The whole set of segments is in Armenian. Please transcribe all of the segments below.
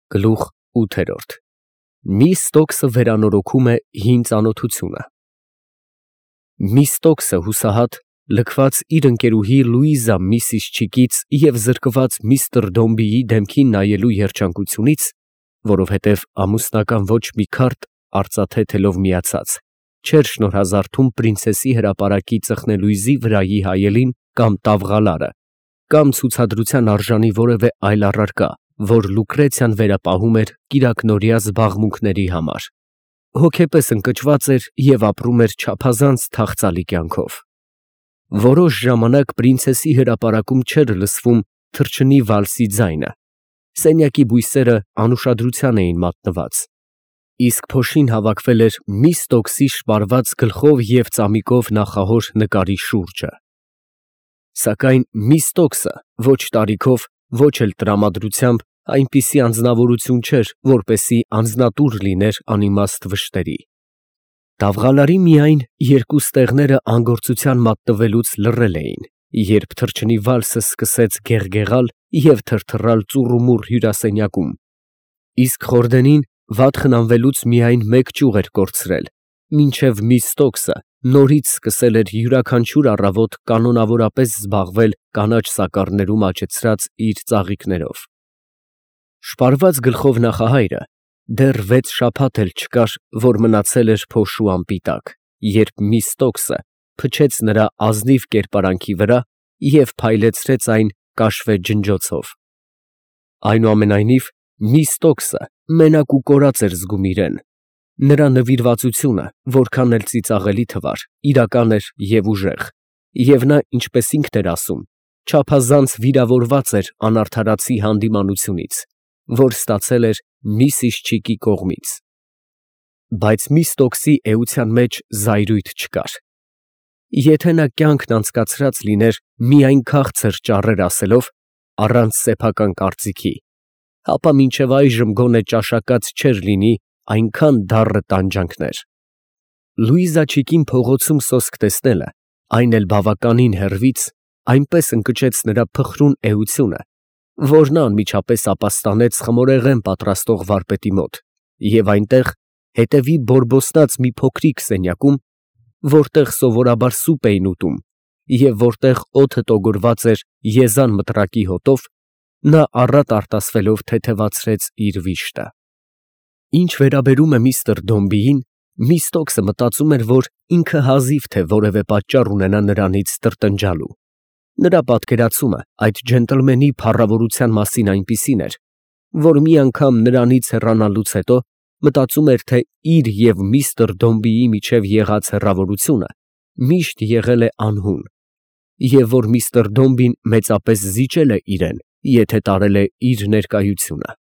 Գլուխ 8։ Միստոքսը վերանորոգում է հին ծանոթությունը։ Միստոքսը հուսահատ, լքված իր ընկերուհի Լուիզա Միսիսչիկից և զրկված միստր Դոմբիի դեմքին նայելու երջանկությունից, որովհետև ամուսնական ոչ մի քարտ արծաթե թելով միացած, չէր շնորհազարդում պրինցեսի հրապարակի ծխնելույզի վրայի հայելին կամ տավղալարը, կամ ցուցադրության արժանի որևէ այլ առարկա, որ Լուկրեցիան վերապահում էր կիրակնօրյա զբաղմունքների համար, հոգեպես ընկճված էր և ապրում էր չափազանց թախծալի կյանքով։ Որոշ ժամանակ պրինցեսի հրապարակում չէր լսվում թռչնի վալսի ձայնը, սենյակի բույսերը անուշադրության էին մատնված, իսկ փոշին հավաքվել էր Միստոքսի շպարված գլխով և ծամիկով նախահոր նկարի շուրջը։ Սակայն Միստոքսը ոչ տարիքով, ոչ էլ տրամադրությամբ այնպիսի անձնավորություն չէր, որպեսզի անձնատուր լիներ անիմաստ վշտերի։ Տավղալարի միայն երկու ստեղները անգործության մատնվելուց լռել էին, երբ թռչնի վալսը սկսեց գեղգեղալ և թրթռալ ծուռումուռ հյուրասենյակում, իսկ խորդենին վատ խնամվելուց միայն մեկ ճյուղ էր կորցրել, մինչև Միստոքսը նորից սկսել էր յուրաքանչյուր առավոտ կանոնավորապես զբաղվել կանաչ սակառներում աճեցրած իր ծաղիկներով։ Շպարված գլխով նախահայրը դեռ 6 շաբաթ էլ չկար, որ մնացել էր փոշու անպիտակ, երբ Միստոքսը փչեց նրա ազնիվ կերպարանքի վրա և փայլեցրեց այն կաշվե ջնջոցով։ Այնուամենայնիվ, Միստոքսը մենակ ու կորած էր զգում իրեն, նրա նվիրվածությունը, որքան էլ ծիծաղելի թվար, իրական էր և ուժեղ, և նա, ինչպես ինքն էր ասում, չափազանց վիրավորված էր անարդարացի հանդիմանությունից, որ ստացել էր Միսիսչիկի կողմից։ Բայց Միստոքսի էության մեջ զայրույթ չկար։ Եթե նա կյանքն անցկացրած լիներ միայն քաղցր ճառեր ասելով, առանց սեփական կարծիքի, ապա մինչև այժմ գոնե ճաշակած չէր լինի այնքան դառը տանջանքներ։ Լուիզաչիկին փողոցում սոսկ տեսնելը, այն էլ բավականին հեռվից, այնպես ընկճեց նրա փխրուն էությունը, որ նա անմիջապես ապաստանեց խմորեղեն պատրաստող վարպետի մոտ և այնտեղ, հետևի բորբոսնած մի փոքրիկ սենյակում, որտեղ սովորաբար սուպ էին ուտում և որտեղ օդը տոգորված էր եզան մտրակի հոտով, նա առատ արտասվելով թեթևացրեց իր վիշտը։ Ինչ վերաբերում է միստր Դոմբիին, Միստոքսը մտածում էր, որ ինքը հազիվ թե որևէ պատճառ ունենա նրանից տրտնջալու։ Նրա պատկերացումը այդ ջենտլմենի փառավորության մասին այնպիսին էր, որ մի անգամ նրանից հեռանալուց հետո մտածում էր, թե իր և միստր Դոմբիի միջև եղած հեռավորությունը միշտ եղել է անհուն, և որ միստր Դոմբին մեծապես զիջել է իրեն, եթե տարել է իր ներկայությունը։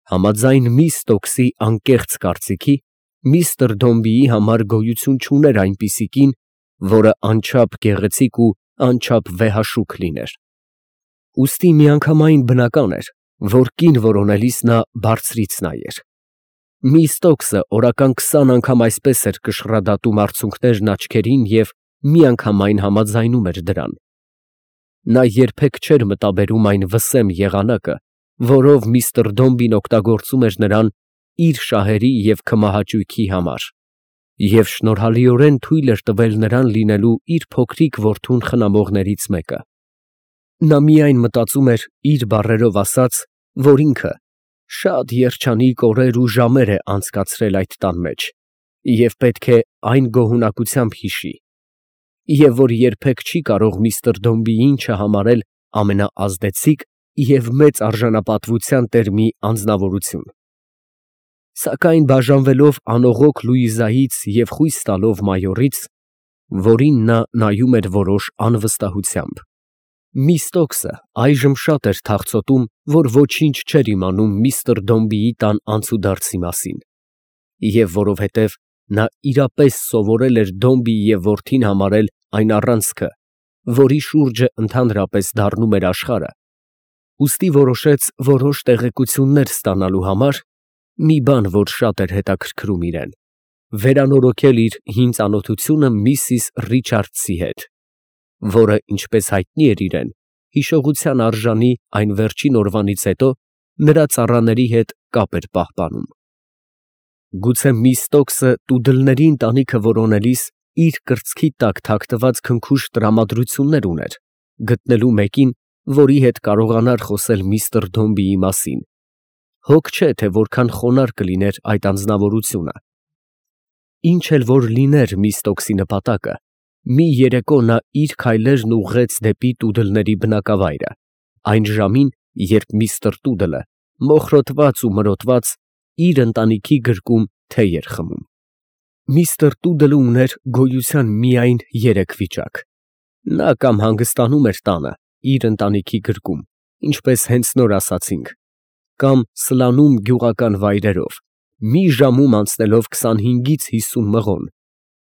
Համաձայն Միստոքսի անկեղծ կարծիքի, միստր Դոմբիի համար գոյություն չուներ այնպիսի կին, որը անչափ գեղեցիկ ու անչափ վեհաշուք լիներ։ Ուստի միանգամայն բնական էր, որ կին որոնելիս նա բարձրից նայեր։ Միստոքսը օրական 20 անգամ այսպես էր կշռադատում արցունքներն աչքերին և միանգամայն համաձայնում էր դրան։ Նա երբեք չէր մտաբերում այն վսեմ եղանակը, որով միստր Դոմբին օգտագործում էր նրան իր շահերի և քմահաճույքի համար, և շնորհալիորեն թույլ էր տվել նրան լինելու իր փոքրիկ որդուն խնամողներից մեկը։ Նա միայն մտածում էր, իր բառերով ասած, որ ինքը շատ երջանիկ օրեր ու ժամեր է անցկացրել այդ տան մեջ և պետք է այն գոհունակությամբ հիշի, և որ երբեք չի կարող միստր Դոմբիին չհամարել ամենաազդեցիկ և մեծ արժանապատվության տեր մի անձնավորություն։ Սակայն բաժանվելով անողոք Լուիզայից և խույս տալով մայորից, որին նա նայում էր որոշ անվստահությամբ, Միստոքսը այժմ շատ էր թախծոտում, որ ոչինչ չէր իմանում միստր Դոմբիի տան անցուդարձի մասին, և որովհետև նա իրապես սովորել էր Դոմբիի և որդին համարել այն առանցքը, որի շուրջը ընդհանրապես դառնում էր աշխարհը, ուստի որոշեց որոշ տեղեկություններ ստանալու համար, մի բան, որ շատ էր հետաքրքրում իրեն, վերանորոգել իր հին ծանոթությունը միսիս Ռիչարդսի հետ, որը, ինչպես հայտնի էր իրեն, հիշողության արժանի այն վերջին օրվանից հետո, նրա ծառաների հետ կապ էր պահպանում։ Գուցե Միստոկսը տուդլների ընտանիքը որոնելիս իր կրծքի տակ թաքնված քնքուշ տրամադրություններ ուներ, գտնելու մեկին, որի հետ կարողանար խոսել միստր Դոմբիի մասին։ Հոգ չէ, թե որքան խոնարհ կլիներ այդ անձնավորությունը։ Ինչ էլ որ լիներ Միստոկսի նպատակը, մի երեկո նա իր քայլերն ուղղեց դեպի տուդլների բնակավայրը, այն ժամին, երբ միստր Տուդլը, մոխրոտված ու մրոտված, իր ընտանիքի գրկում թեյ էր խմում։ Միստր Տուդլը ուներ գոյության միայն երեք վիճակ. նա կամ հանգստանում էր տանը, իր ընտանիքի գրկում, ինչպես հենց նոր ասացինք, կամ սլանում գյուղական վայրերով, մի ժամում անցնելով 25-ից 50 մղոն,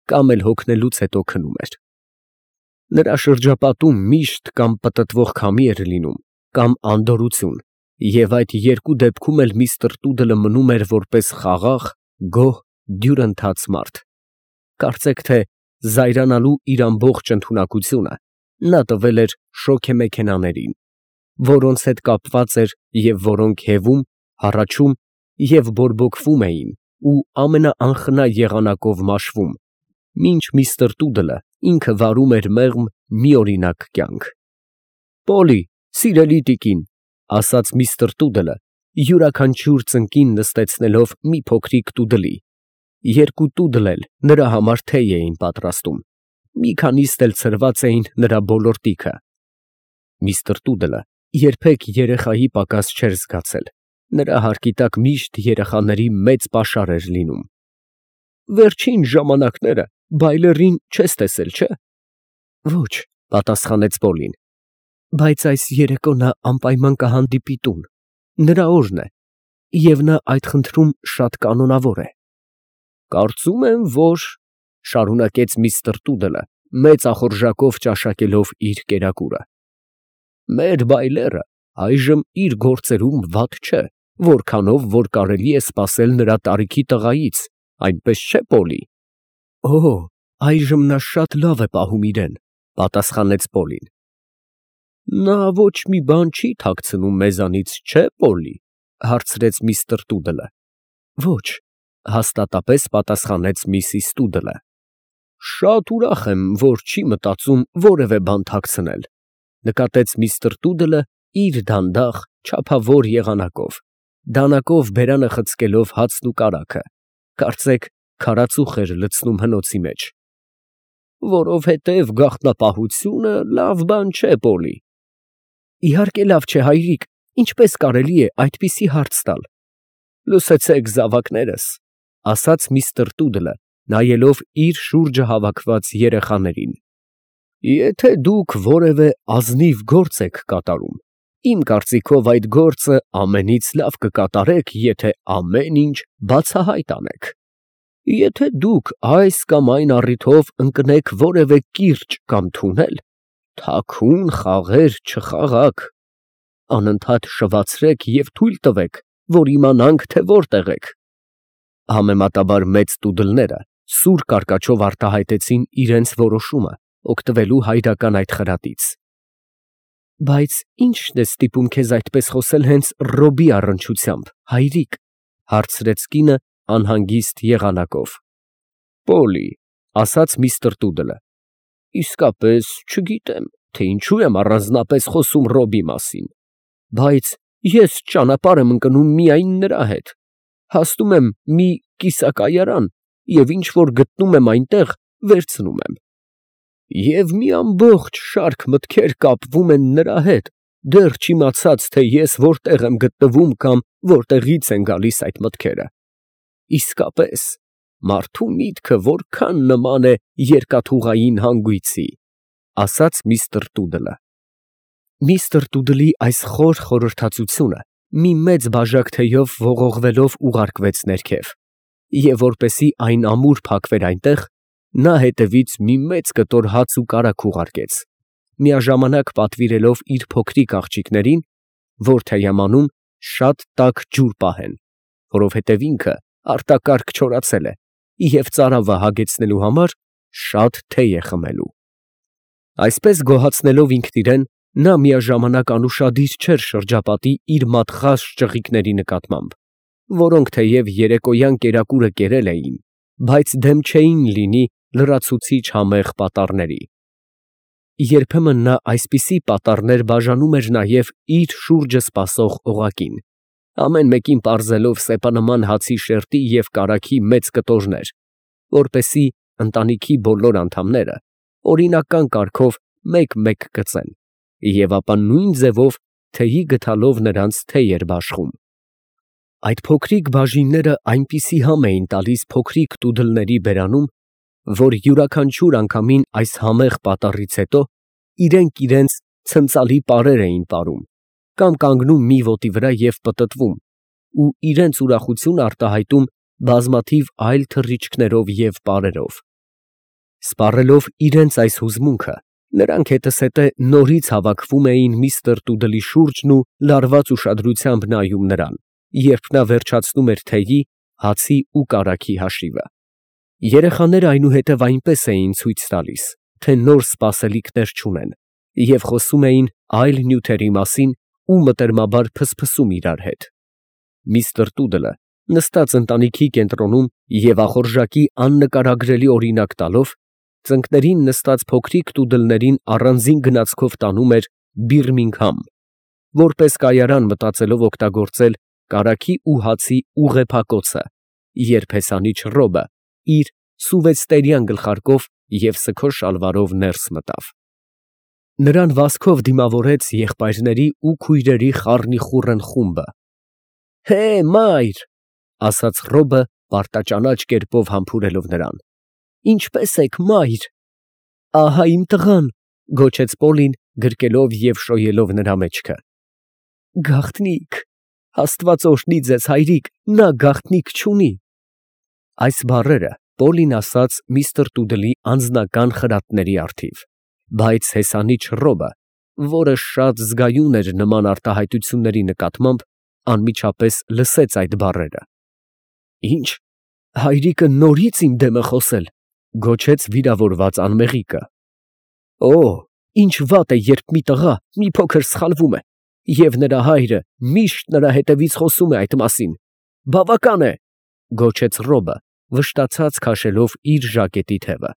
կամ էլ հոգնելուց հետո քնում էր։ Նրա շրջապատում միշտ կամ պտտվող քամի էր լինում, կամ անդորրություն, և այդ երկու դեպքում էլ միստր Տուդլը մնում էր որպես խաղաղ, գոհ, դյուրընթաց մարդ։ Կարծեք թե զայրանալու իր ամբողջ ընդունակությունը նա տվել էր շոգեմեքենաներին, որոնց հետ կապված էր և որոնք հևում, հառաչում և բորբոքվում էին ու ամենաանխնա եղանակով մաշվում, մինչ միստր Տուդլը ինքը վարում էր մեղմ միօրինակ կյանք։ «Պոլի, սիրելի տիկին», ֊ ասաց միստր Տուդլը, յուրաքանչյուր ծնկին նստեցնելով մի փոքրիկ տուդլի, երկու տուդլ էլ նրա համար թեյ էին պատրաստում, մի քանիստ էլ ցրված էին նրա բոլոր տիքը։ Միստր Տուդլը երբեք երեխայի պակաս չէր զգացել, նրա հարկի տակ միշտ երեխաների մեծ պաշար էր լինում։ «Վերջին ժամանակները Բայլերին չես տեսել, չէ՞» «Ոչ», ֊ պատասխանեց Պոլին, «բայց այս երեկո նա անպայման կհանդիպի տուն, նրա օրն է, և նա այդ խնդրում շատ կանոնավոր է»։ «Կարծում եմ, որ, ֊ շարունակեց միստր Տուդլը, մեծ ախորժակով ճաշակելով իր կերակուրը, ֊ մեր Բայլերը այժմ իր գործերում վատ չէ, որքանով որ կարելի է սպասել նրա տարիքի տղայից, այնպես չէ՞, Պոլի։ «Օ, այժմ նա շատ լավ է պահում իրեն», ֊ պատասխանեց Պոլին։ «Նա ոչ մի բան չի թաքցնում մեզանից, չէ՞, Պոլի», ֊ հարցրեց միստր Տուդլը։ «Ոչ», ֊ հաստատապես պատասխանեց միսիս Տուդլը։ «Շատ ուրախ եմ, որ չի մտածում որևէ բան թաքցնել», ֊ նկատեց միստր Տուդլը իր դանդաղ, չափավոր եղանակով, դանակով բերանը խցկելով հացն ու կարագը, կարծեք քարածուխ էր լցնում հնոցի մեջ։ «Որովհետև գաղտնապահությունը լավ բան չէ, Պոլի»։ «Իհարկե լավ չէ, հայրիկ, ինչպես կարելի է այդպիսի հարց տալ»։ «Լսեցեք, զավակներս», ֊ ասաց միստր Տուդլը, նայելով իր շուրջը հավաքված երեխաներին, «եթե դուք որևէ ազնիվ գործ եք կատարում, իմ կարծիքով այդ գործը ամենից լավ կկատարեք, եթե ամեն ինչ բացահայտ անեք։ Եթե դուք այս կամ այն առիթով ընկնեք որևէ կիրճ կամ թունել, թաքուն խաղեր չխաղաք, անընդհատ շվացրեք և թույլ տվեք, որ իմանանք, թե որտեղ եք»։ Համեմատաբար մեծ տուդլները սուր կարկաչով արտահայտեցին իրենց որոշումը օգտվելու հայրական այդ խրատից։ «Բայց ի՞նչն է ստիպում քեզ այդպես խոսել հենց Ռոբի առնչությամբ, հայրիկ», ֊ հարցրեց կինը անհանգիստ եղանակով։ «Պոլի», ֊ ասաց միստր Տուդլը, «իսկապես չգիտեմ, թե ինչու եմ առանձնապես խոսում Ռոբի մասին, բայց ես ճանապարհ եմ ընկնում միայն նրա հետ, հասնում եմ մի կիսակայարան և ինչ որ գտնում եմ այնտեղ, վերցնում եմ։ Եվ մի ամբողջ շարք մտքեր կապվում են նրա հետ, դեռ չիմացած, թե ես որտեղ եմ գտնվում կամ որտեղից են գալիս այդ մտքերը։ Իսկապես, մարդու միտքը որքան նման է երկաթուղային հանգույցի», ֊ ասաց միստր Տուդլը։ Միստր Տուդլի այս խոր խորհրդածությունը մի մեծ բաժակ թեյով ողողվելով ուղարկվեց ներքև, և որպեսզի այն ամուր փակվեր այնտեղ, նա հետևից մի մեծ կտոր հաց ու կարագ ուղարկեց, միաժամանակ պատվիրելով իր փոքրիկ աղջիկներին, որ թեյամանում շատ տաք ջուր պահեն, որովհետև ինքը արտակարգ չորացել է և ծարավը հագեցնելու համար շատ թեյ է խմելու։ Այսպես գոհացնելով ինքն իրեն, Նա միաժամանակ անուշադիր չէր շրջապատի իր մատխաշ ճղիկների նկատմամբ, որոնք թեև երեկոյան կերակուրը կերել էին, բայց դեմ չէին լինի լրացուցիչ համեղ պատառների։ Երբեմն նա այսպիսի պատառներ բաժանում էր նաև իր շուրջը սպասող օղակին, ամեն մեկին պարզելով սեպանման հացի շերտի և կարագի մեծ կտորներ, որպեսզի ընտանիքի բոլոր անդամները օրինական կարգով մեկ֊մեկ կծեն, և ապա նույն ձևով թեյի գդալով նրանց թեյ էր բաշխում։ Այդ փոքրիկ բաժինները այնպիսի համ էին տալիս փոքրիկ տուդլների բերանում, որ յուրաքանչյուր անգամին այս համեղ պատառից հետո իրենք իրենց ցնծալի պարեր էին պարում, կամ կանգնում մի ոտի վրա և պտտվում, ու իրենց ուրախությունը արտահայտում բազմաթիվ այլ թռիչքներով և պարերով։ Սպառելով իրենց այս հուզմունքը, նրանք հետզհետե նորից հավաքվում էին միստր Տուդլի շուրջն ու լարված ուշադրությամբ նայում նրան, երբ նա վերջացնում էր թեյի, հացի ու կարագի հաշիվը։ Երեխաները այնուհետև այնպես էին ցույց տալիս, թե նոր սպասելիքներ չունեն, և խոսում էին այլ նյութերի մասին ու մտերմաբար փսփսում իրար հետ։ Միստր Տուդլը, նստած ընտանիքի կենտրոնում և ախորժակի աննկարագրելի օրինակ տալով, ծնկներին նստած փոքրիկ տուդլներին առանձին գնացքով տանում էր Բիրմինգհամ, որպես կայարան մտածելով օգտագործել կարագի ու հացի ուղեփակոցը, երբ հեսանիչ Ռոբը իր սուվեստերյան գլխարկով և սգո շալվարով ներս մտավ։ Նրան վազքով դիմավորեց եղբայրների ու քույրերի խառնիխուռն խումբը։ ֊ Հե, մայր, ֊ ասաց Ռոբը պարտաճանաչ կերպով համբուրելով նրան։ ֊ Ինչպե՞ս եք, մայր։ ֊ Ահա իմ տղան, ֊ գոչեց Պոլին, գրկելով և շոյելով նրա մեջքը։ ֊ Գաղտնիք, Աստված օրհնի ձեզ, հայրիկ, նա գաղտնիք չունի։ Այս բառերը Պոլին ասաց միստր Տուդլի անձնական խրատների առթիվ, բայց հեսանիչ Ռոբը, որը շատ զգայուն էր նման արտահայտությունների նկատմամբ, անմիջապես լսեց այդ բառերը։ ֊ Ի՞նչ, հայրիկը նորից իմ դեմ է խոսել, ֊ գոչեց վիրավորված անմեղիկը։ ֊ Օ, ինչ վատ է, երբ մի տղա մի փոքր սխալվում է, և նրա հայրը միշտ նրա հետևից խոսում է այդ մասին։ Բավական է, ֊ գոչեց Ռոբը, վշտացած քաշելով իր ժակետի թևը։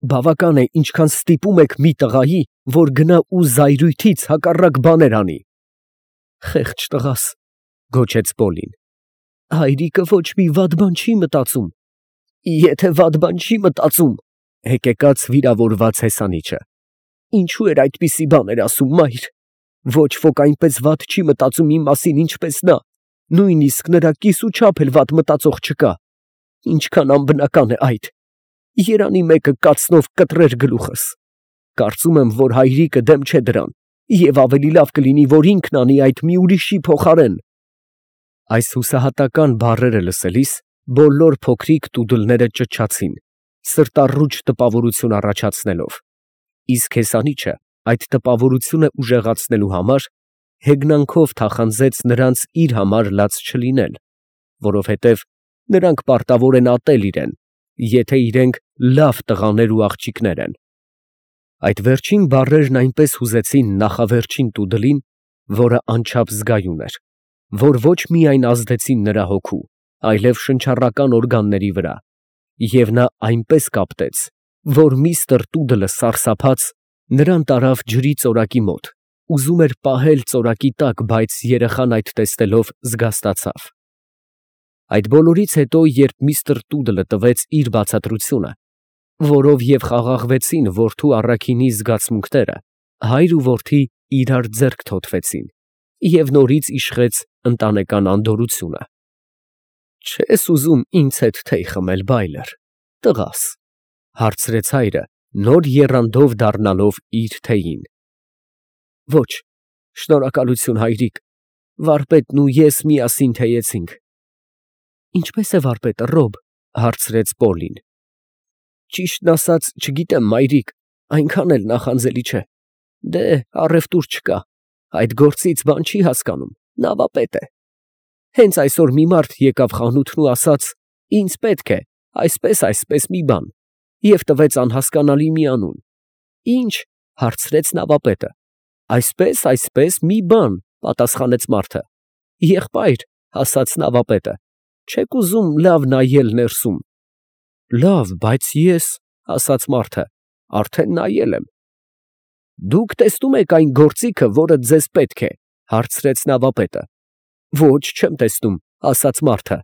Բավական է, ինչքան ստիպում եք մի տղայի, որ գնա ու զայրույթից հակառակ բաներ անի։ Խեղճ տղաս, ֊ գոչեց Պոլին։ Հայրիկը ոչ մի վատ բան չի մտածում։ Եթե վատ բան չի մտածում, ֊ հեկեկաց վիրավորված հեսանիչը, ինչո՞ւ էր այդպիսի բաներ ասում, մայր։ Ոչ ոք այնպես վատ չի մտածում իմ մասին, ինչպես նա, նույնիսկ նրա կիսուչափ էլ վատ մտածող չկա։ Ինչքան անբնական է այդ։ Երանի մեկը կացնով կտրեր գլուխս։ Կարծում եմ, որ հայրիկը դեմ չէ դրան, և ավելի լավ կլինի, որ ինքն անի այդ մի ուրիշի փոխարեն։ Այս հուսահատական բառերը լսելիս բոլոր փոքրիկ տուդլները ճչացին, սրտառուչ տպավորություն առաջացնելով, իսկ հեսանիչը այդ տպավորությունը ուժեղացնելու համար հեգնանքով թախանձեց նրանց իր համար լաց չլինել, որովհետև նրանք պարտավոր են ատել իրեն, եթե իրենք լավ տղաներ ու աղջիկներ են։ Այդ վերջին բառերն այնպես հուզեցին նախավերջին տուդլին, որը անչափ զգայուն էր, որ ոչ միայն ազդեցին նրա հոգու, այլև շնչառական օրգանների վրա, և նա այնպես կապտեց, որ միստր Տուդլը սարսափած նրան տարավ ջրի ծորակի մոտ, ուզում էր պահել ծորակի տակ, բայց երեխան այդ տեսնելով զգաստացավ։ Այդ բոլորից հետո, երբ միստր Տուդլը տվեց իր բացատրությունը, որով և խաղաղվեցին որդու առաքինի զգացմունքները, հայր ու որդի իրար ձեռք թոթվեցին, և նորից իշխեց ընտանեկան անդորրությունը։ Չե՞ս ուզում ինձ հետ թեյ խմել, Բայլր, տղաս, ֊ հարցրեց հայրը, նոր եռանդով դառնալով իր թեյին։ Ոչ, շնորհակալություն, հայրիկ, վարպետն ու ես միասին թեյեցինք։ Ինչպե՞ս է վարպետը, Ռոբ, ֊ հարցրեց Պոլին։ Ճիշտն ասած, չգիտեմ, մայրիկ, այնքան էլ նախանձելի չէ։ Դե, առևտուր չկա, այդ գործից բան չի հասկանում, նավապետ է։ Հենց այսօր մի մարդ եկավ խանութն ու ասաց. «Ինձ պետք է այսպես մի բան» և տվեց անհասկանալի մի անուն։ Ի՞նչ, ֊ հարցրեց նավապետը։ Այսպես մի բան, պատասխանեց մարդը։ Եղբայր, ասաց նավապետը, չեք ուզում լավ նայել ներսում։ Լավ, բայց ես, ասաց մարդը, արդեն նայել եմ։ Դուք տեսնում եք այն գործիքը, որը ձեզ պետք է, հարցրեց նավապետը։ Ոչ, չեմ տեսնում, ասաց մարդը։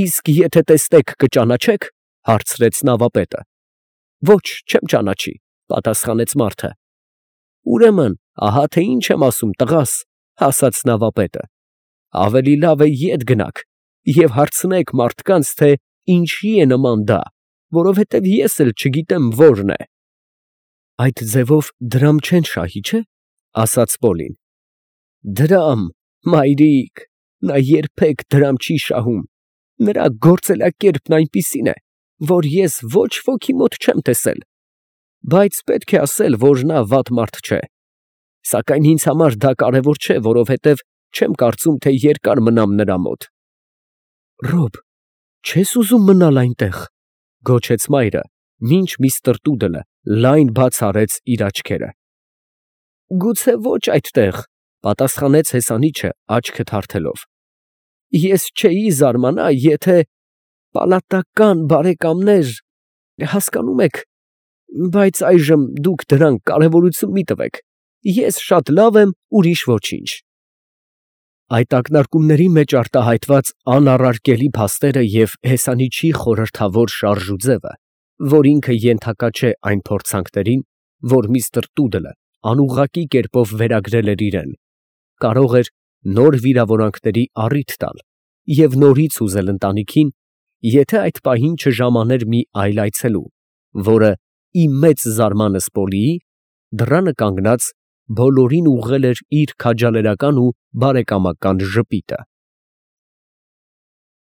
Իսկ եթե տեսնեք, կճանաչեք, հարցրեց նավապետը։ Ոչ, չեմ ճանաչի, պատասխանեց մարդը։ Ուրեմն, ահա թե ինչ եմ ասում, տղաս, ասաց նավապետը։ Ավելի լավ է ետ գնաք և հարցնեք մարդկանց, թե ինչի է նման դա, որովհետև ես էլ չգիտեմ որն է։ Այդ ձևով դրամ չեն շահի, չէ՞, ասաց Պոլին։ Դրամ, մայրիկ, նա երբեք դրամ չի շահում։ Նրա գործելակերպն այնպիսին է, որ ես ոչ ոքի մոտ չեմ տեսել։ Բայց պետք է ասել, որ նա վատ մարդ չէ։ Սակայն ինձ համար դա կարևոր չէ, որովհետև չեմ կարծում, թե երկար մնամ նրա մոտ։ Ռոբ, չես ուզում մնալ այնտեղ, գոչեց մայրը, մինչ միստր Տուդլը լայն բաց արեց իր աչքերը։ Գուցե ոչ այդտեղ, պատասխանեց հեսանիչը աչքը թարթելով։ Ես չէի զարմանա, եթե պալատական բարեկամներ, հասկանում եք, բայց այժմ դուք դրան կարևորություն մի տվեք, ես շատ լավ եմ, ուրիշ ոչինչ։ Այդ ակնարկումների մեջ արտահայտված անառարկելի փաստերը և հեսանիչի խորհրդավոր շարժուձևը, որ ինքը ենթակա չէ այն փորձանքներին, որ միստր Տուդլը անուղղակի կերպով վերագրել էր իրեն, կարող էր նոր վիրավորանքների առիթ տալ և նորից ուզել ընտանիքին, եթե այդ պահին չժամաներ մի այլ այցելու, որը, ի մեծ զարմանս Պոլիի, դռանը կանգնած, բոլորին ուղղել էր իր քաջալերական ու բարեկամական ժպիտը։